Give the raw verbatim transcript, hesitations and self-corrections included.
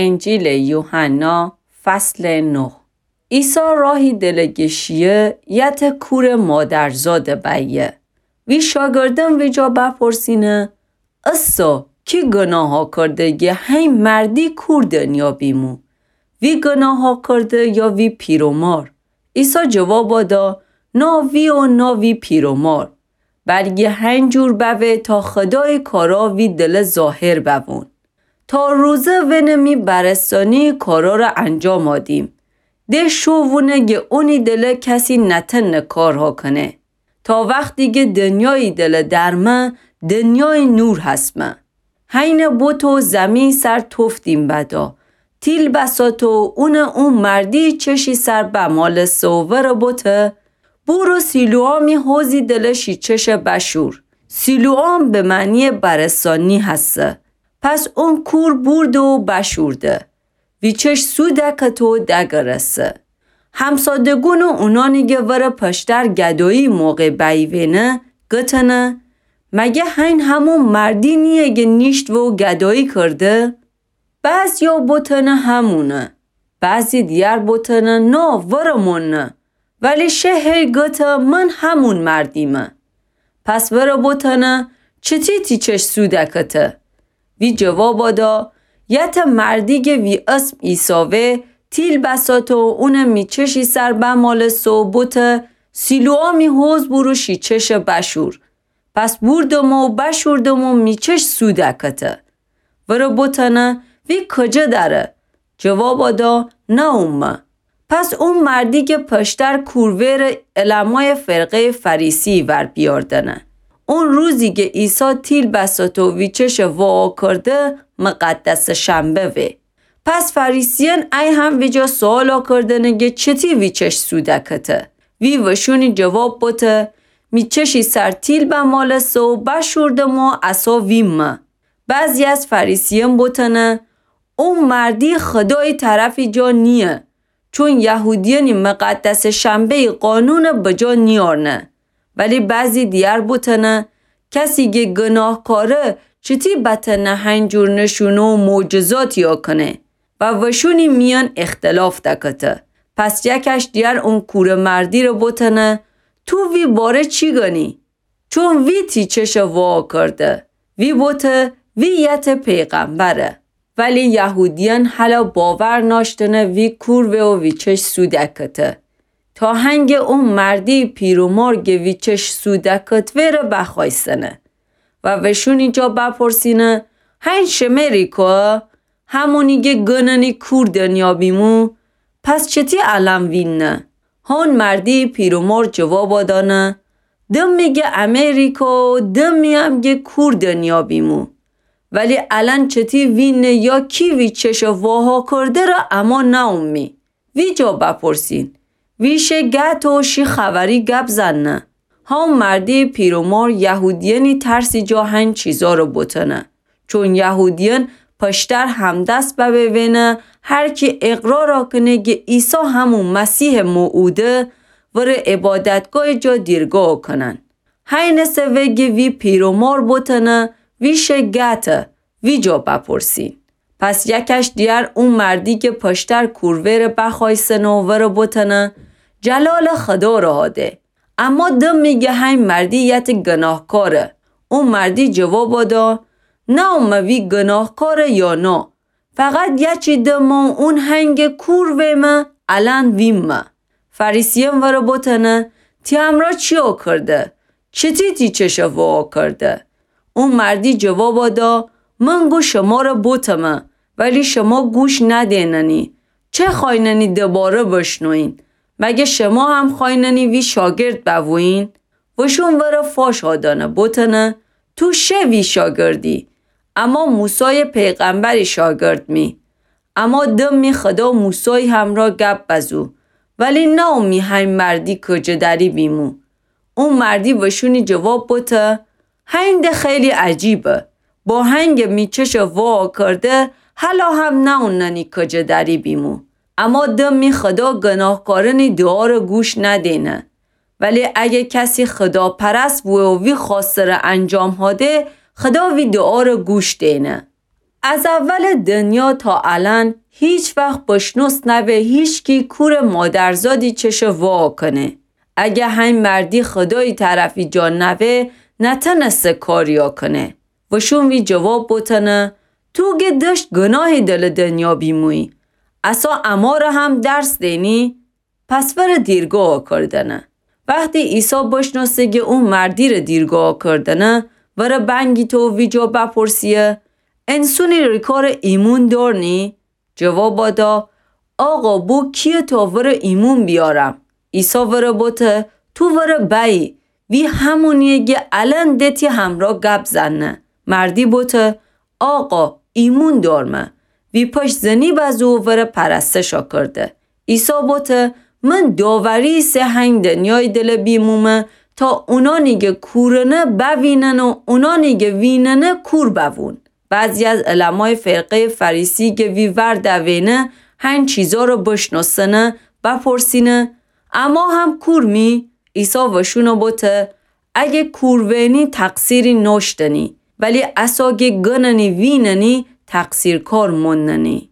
انجیلٚ یوحنا، فصلٚ نه. عیسی راهی دلٚ گشییه، یتٚ کورٚ مادرزادٚ بأیه. وی شاگردأن ویجا بپرسینه: اسا، کی گناه کرده گه هی مردی کور دنیا بیمو؟ وی گناه کرده یا وی پیر و مار؟ عیسی جوابا دا: نا وی و نا وی پیر و مار، بلکه هنجور بوه تا خدایٚ کارا وی دله ظاهر بوون. تا روزه وینه می برستانییٚ کارا ره انجاما دیم. ده شو وونه گه اونی دله کسی نتنه کارها کنه. تا وختی گه دنیایی دله درمه، دنیایی نور هسمه. هینه بوته و زیمهیٚ سر توف دیم بدا، تیل بساته و اونه او مردییٚ چشی سر بمالسته و وره بوته: بورو سیلوآمی حوضی دله شی چشه بشور. سیلوآم به معنییٚ برستانی هسه. پس اون کور بورده و بشورده. ویچش سو دکته و دگرسه. همسادگون و اونانی گه وره پشتر گدایییٚ موقع بییونه، گتنه: مگه هین همون مردی نییه گه نیشت و گدایی کرده؟ بعضیا بوتنه همونه، بعضی دیگر بوتنه نا، ورمون نه. ولی شه هی گته: من همون مردیمه. پس وره بوتنه: چتی تی چش سو دکته؟ وی جوابا دا: یته مردی گه وی اسم عیسی وه، تیل بساته و اونه می چشی سر بمالسته و بوته: سیلوآمی حوض بورو شی چشه بشور. پس بوردمه و بشوردمه و می چش سو دکته. وره بوتنه: وی کجه دره؟ جوابا دا: نومه. پس او مردی گه پشتر کور وره علمایٚ فرقهیٚ فریسیی ور بیاردنه. اون روزی گه عیسی تیل بساته و ویچشه واکرده، مقدسٚ شنبه وه. پس فریسیأن ای هم ویجا سؤالا کردنه گه چتی ویچش سو دکته؟ وی وشونی جواب بوته: می چشی سر تیل بمالسته و بشوردمه و اسا ویمه. بعضی از فریسیأن بوتنه: او مردی خدایٚ طرفی جا نییه، چون یهودیأنی مقدسٚ شنبهیٚ قانون بجا نیأرنه. ولی بعضی دیگر بوتنه: کسی گه گناهکاره چتی بتنه هنجور نشونه و معجزاتیا کنه؟ و وشونی میأن اختلاف دکته. پس یکش دیگر اون کورٚ مردی ره بوتنه: تو وی باره چی گنی؟ چون وی تی چشه واکرده. وی بوته: وی یته پیغمبره. ولی یهودیأن هلا باور ناشتنه وی کور وه و ویچش سو دکته. تا هنگه او مردی پیر و مار گه ویچش سو دکت وره بخوایسنه و وشونی جا بپرسینه: هین شمه ریکا همونی گه گننی کور دنیا بیمو؟ پس چتی الأن ویننه؟ هون مردی پیر و مار جوابا دانه: دمی گه امه ریکا و دمی هم گه کور دنیا بیمو. ولی الأن چتی ویننه یا کی ویچشه واها کرده ره اما نومی. ویجا بپرسین. وی شه گته و شی خوأری گپ زنه. هون مردی پیر و مار یهودیأنی ترسی جا هین چیزا ره بوتنه. چون یهودیأن پشتر همدست ببوینه، هر کی اقرارا کنه گه عیسی همون مسیحٚ موعوده، وره عبادتگاهٚ جا دیرگاه کنن. هینسه وه گه وی پیر و مار بوتنه، وی شه گته، ویجا بپرسین. پس یکش دیگر او مردی گه پشتر کور وره بخوایسنه و وره بوتنه، جلالٚ خدا ره ده. اما دمی گه هین مردی یته گناهکاره. او مردی جوابا دا، نومه وی گناهکاره یا نا. فقط یچی دمه اون هنگه کور ویمه، الأن ویمه. فریسیأن وره بوتنه، تی امرا چیا کرده؟ چتی تی چشه وا کرده؟ او مردی جوابا دا، من گو شمره بوتمه، ولی شما گوش ندیننی. چه خوأیننی دباره بشنوین؟ مگه شما هم خوأیننی وی شاگرد ببویین؟ وشون وره فاشا دانه بوتنه، تو شه وی شاگردی، اما موسای پیغمبری شاگرد می. اما دمی خدا موسای همرا گپ بزو، ولی نومی هین مردی کجه دری بیمو. او مردی وشونی جواب بوته، هین ده خیلی عجیبه. با هنگه می چشه وا کرده، هلا هم نوننی کجه دری بیمو. اما دمی خدا گناهکارنی دعا ره گوش ندینه. ولی اگه کسی خداپرست بوه و وی خواسته ره انجام هاده، خدا وی دعا ره گوش دینه. از اولٚ دنیا تا الأن هیچ‌وخت بشنوس نوه هیچکی کورٚ مادرزادی چشه وا کنه. اگه هین مردی خودایی طرفی جا نوه، نتنسه کاریا کنه. وشون وی جواب بوتنه، تو گه دشت گناهی دلٚ دنیا بیمویی. عصا اماره هم درس دینی؟ پس وره دیرگاه کردنه. وختی عیسی بشناسه گه او مردیره دیرگاه کردنه، وره بنگیته و ویجا بپرسیه، انسونی ریکاره ایمون دارنی؟ جوابا دا، آقا، بو کیه تا وره ایمون بیارم؟ عیسی وره بوته، تو وره بأیی. وی همونیه گه الأن ده تی همرا گپ زنه. مردی بوته، آقا، ایمون دارمه. وی پشت زنی بزو و وره پرستشا کرده. عیسی بوته، من داوری ایسه هین دنیای دله بیمومه تا اونانی گه کورنه بوینن و اونانی گه ویننه کور بوون. بعضی از علمای فرقه‌ی فریسی گه وی ور دوینه هین چیزارو بشناسنه، بپرسینه، اما هم کور می؟ عیسی وشونو بوته، اگه کور وینی تقصیری نوشتنی، ولی عصا گه گننی ویننی تقصیرکار موننی.